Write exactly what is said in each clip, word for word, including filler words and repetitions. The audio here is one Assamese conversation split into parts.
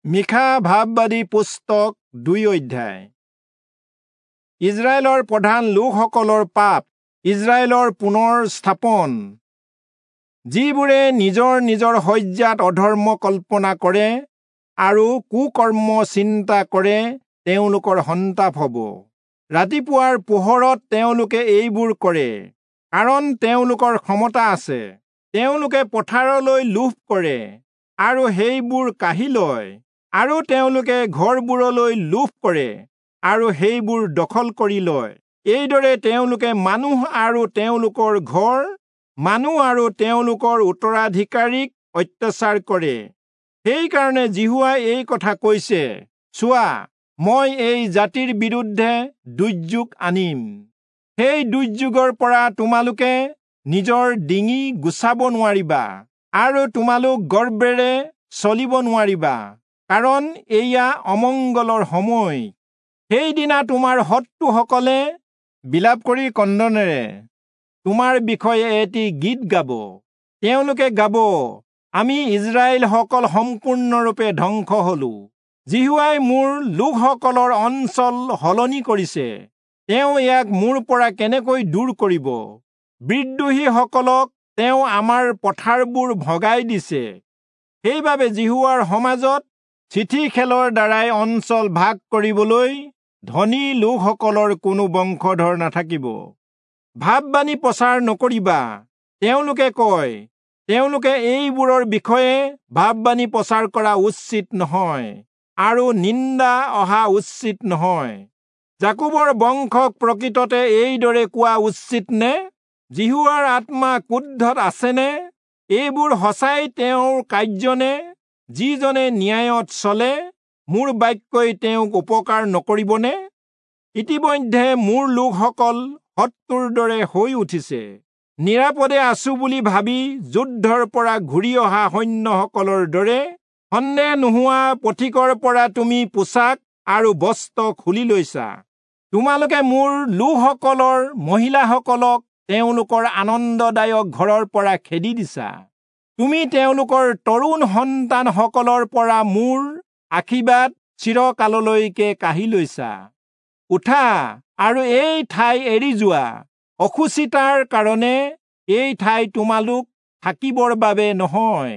মীখা ভাববাদী পুস্তক দুই অধ্যায়। ইজৰাইলৰ প্ৰধান লোকসকলৰ পাপ, ইজৰাইলৰ পুনৰ স্থাপন। যিবোৰে নিজৰ নিজৰ শয্যাত অধৰ্ম কল্পনা কৰে আৰু কুকৰ্ম চিন্তা কৰে, তেওঁলোকৰ সন্তাপ হ'ব। ৰাতিপুৱাৰ পোহৰত তেওঁলোকে এইবোৰ কৰে, কাৰণ তেওঁলোকৰ ক্ষমতা আছে। তেওঁলোকে পথাৰলৈ লোভ কৰে আৰু সেইবোৰ কাঢ়ি লয়, আৰু তেওঁলোকে ঘৰবোৰলৈ লোভ কৰে আৰু সেইবোৰ দখল কৰি লয়। এইদৰে তেওঁলোকে মানুহ আৰু তেওঁলোকৰ ঘৰ, মানুহ আৰু তেওঁলোকৰ উত্তৰাধিকাৰীক অত্যাচাৰ কৰে। সেইকাৰণে যিহোৱাই এই কথা কৈছে, চোৱা, মই এই জাতিৰ বিৰুদ্ধে দুৰ্যোগ আনিম। সেই দুৰ্যোগৰ পৰা তোমালোকে নিজৰ ডিঙি গুচাব নোৱাৰিবা আৰু তোমালোক গৰ্বেৰে চলিব নোৱাৰিবা, কাৰণ এয়া অমংগলৰ সময়। সেইদিনা তোমাৰ শত্ৰুসকলে বিলাপ কৰি ক্ৰন্দনেৰে তোমাৰ বিষয়ে এটি গীত গাব। তেওঁলোকে গাব, আমি ইজৰাইলসকল সম্পূৰ্ণৰূপে ধ্বংস হলো। যিহোৱাই মোৰ লোকসকলৰ অঞ্চল সলনি কৰিছে, তেওঁ ইয়াক মোৰ পৰা কেনেকৈ দূৰ কৰিব? বিদ্ৰোহীসকলক তেওঁ আমাৰ পথাৰবোৰ ভগাই দিছে। সেইবাবে যিহোৱাৰ সমাজত চিঠি খেলৰ দ্বাৰাই অঞ্চল ভাগ কৰিবলৈ ধনী লোকসকলৰ কোনো বংশধৰ নাথাকিব। ভাববাণী প্ৰচাৰ নকৰিবা, তেওঁলোকে কয়, তেওঁলোকে এইবোৰৰ বিষয়ে ভাববাণী প্ৰচাৰ কৰা উচিত নহয় আৰু নিন্দা অহা উচিত নহয়। যাকোবৰ বংশক প্ৰকৃততে এইদৰে কোৱা উচিত নে? যিহোৱাৰ আত্মা ক্ৰোধত আছেনে? এইবোৰ সঁচাই তেওঁৰ কাৰ্য নে? যিজনে ন্যায়ত চলে, মোৰ বাক্যই তেওঁক উপকাৰ নকৰিবনে? ইতিমধ্যে মোৰ লোকসকল শত্ৰুৰ দৰে হৈ উঠিছে। নিৰাপদে আছো বুলি ভাবি যুদ্ধৰ পৰা ঘূৰি অহা সৈন্যসকলৰ দৰে সন্দেহ নোহোৱা পথিকৰ পৰা তুমি পোছাক আৰু বস্ত্ৰ খুলি লৈছা। তোমালোকে মোৰ লোকসকলৰ মহিলাসকলক তেওঁলোকৰ আনন্দদায়ক ঘৰৰ পৰা খেদি দিছা। তুমি তেওঁলোকৰ তৰুণ সন্তানসকলৰ পৰা মোৰ আশীৰ্বাদ চিৰকাললৈকে কাঢ়ি লৈছা। উঠা আৰু এই ঠাই এৰি যোৱা, অশুচিতাৰ কাৰণে এই ঠাই তোমালোক থাকিবৰ বাবে নহয়,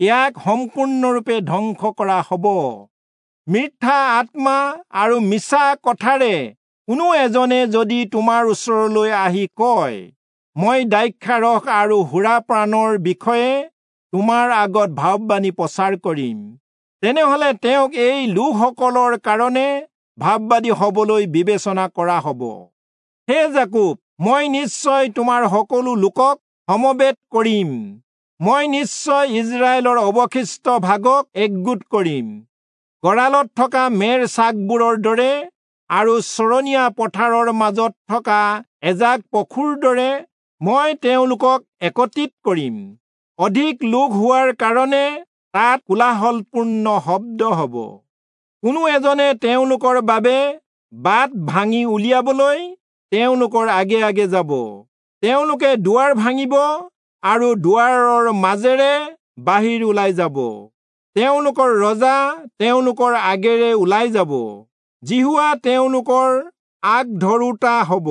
ইয়াক সম্পূৰ্ণৰূপে ধ্বংস কৰা হ'ব। মিথ্যা আত্মা আৰু মিছা কথাৰে কোনো এজনে যদি তোমাৰ ওচৰলৈ আহি কয়, মই দ্ৰাক্ষাৰস আৰু সুৰাপানৰ বিষয়ে তোমাৰ আগত ভাববাণী প্ৰচাৰ কৰিম, তেনেহলে তেওঁক এই লোকসকলৰ কাৰণে ভাববাদী হবলৈ বিবেচনা কৰা হ'ব। হে যাকোব, মই নিশ্চয় তোমাৰ সকলো লোকক সমবেত কৰিম, মই নিশ্চয় ইজৰাইলৰ অৱশিষ্ট ভাগক একগোট কৰিম। গড়ালত থকা মেৰ ছাগবোৰৰ দৰে আৰু চৰণীয়া পথাৰৰ মাজত থকা এজাক পশুৰ দৰে মই তেওঁলোকক একত্ৰিত কৰিম। অধিক লোক হোৱাৰ কাৰণে তাত কোলাহলপূৰ্ণ শব্দ হ'ব। কোনো এজনে তেওঁলোকৰ বাবে বাট ভাঙি উলিয়াবলৈ তেওঁলোকৰ আগে আগে যাব। তেওঁলোকে দুৱাৰ ভাঙিব আৰু দুৱাৰৰ মাজেৰে বাহিৰ ওলাই যাব। তেওঁলোকৰ ৰজা তেওঁলোকৰ আগেৰে ওলাই যাব, যিহোৱা তেওঁলোকৰ আগ ধৰোতা হ'ব।